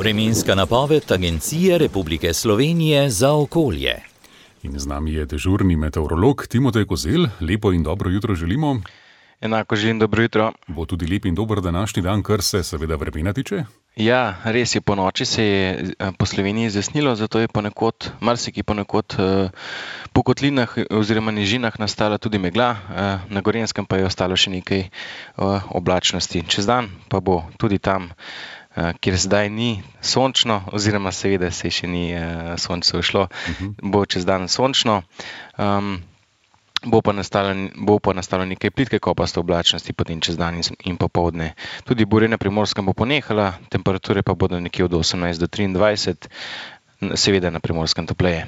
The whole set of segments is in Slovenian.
Vremenska napoved Agencije Republike Slovenije za okolje. In z nami je dežurni meteorolog Timotej Kozelj. Lepo in dobro jutro želimo. Enako želim dobro jutro. Bo tudi lep in dober današnji dan, kar se seveda vremena tiče? Ja, res je, po noči se je po Sloveniji zjasnilo, zato je ponekod po kotlinah oziroma nižinah nastala tudi megla, na Gorenjskem pa je ostalo še nekaj oblačnosti. Čez dan pa bo tudi tam, kjer zdaj ni sončno, oziroma seveda se še ni sonce ušlo, bo čez dan sončno. Bo pa nastalo nekaj plitke kopaste oblačnosti potem čez dan in popoldne. Tudi burja na Primorskem bo ponehala, temperature pa bodo nekje od 18 do 23, seveda na Primorskem topleje.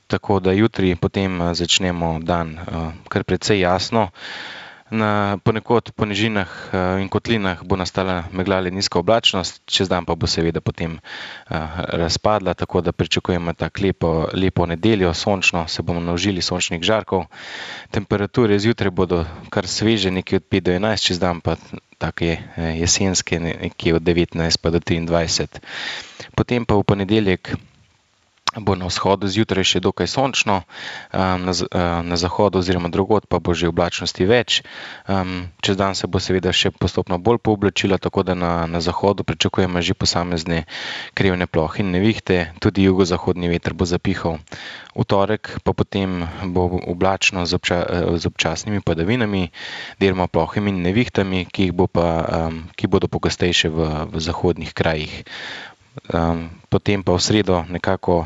Tako da jutri potem začnemo dan kar precej jasno. Ponekod po nižinah in kotlinah bo nastala megla ali nizka oblačnost, čez dan pa bo seveda potem razpadla, tako da pričakujemo tako lepo nedeljo, sončno, se bomo naužili sončnih žarkov. Temperature zjutraj bodo kar sveže, nekje od 5 do 11, čez dan pa take jesenske, nekje od 19 pa do 23. Potem pa v ponedeljek bo na vzhodu zjutraj še dokaj sončno, na zahodu oziroma drugod pa bo že oblačnosti več. Čez dan se bo seveda še postopno bolj pooblačila, tako da na zahodu pričakujemo že posamezne krivne plohe in nevihte, tudi jugozahodni veter bo zapihal. V torek pa potem bo oblačno z občasnimi padavinami, deloma plohami in nevihtami, ki bodo pogostejše v zahodnih krajih. Potem pa v sredo nekako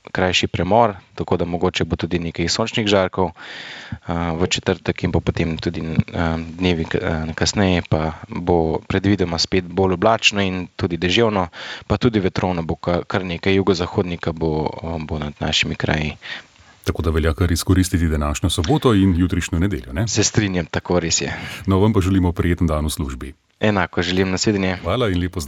krajši premor, tako da mogoče bo tudi nekaj sončnih žarkov. V četrtek in pa potem tudi dnevi kasneje pa bo predvidoma spet bolj oblačno in tudi deževno, pa tudi vetrovno bo kar nekaj, jugozahodnika bo nad našimi kraji. Tako da velja kar izkoristiti današnjo soboto in jutrišnjo nedeljo, ne? Se strinjam, tako res je. No, vam pa želimo prijeten dan v službi. Enako želim, nasvidenje. Hvala in lepo zdrav.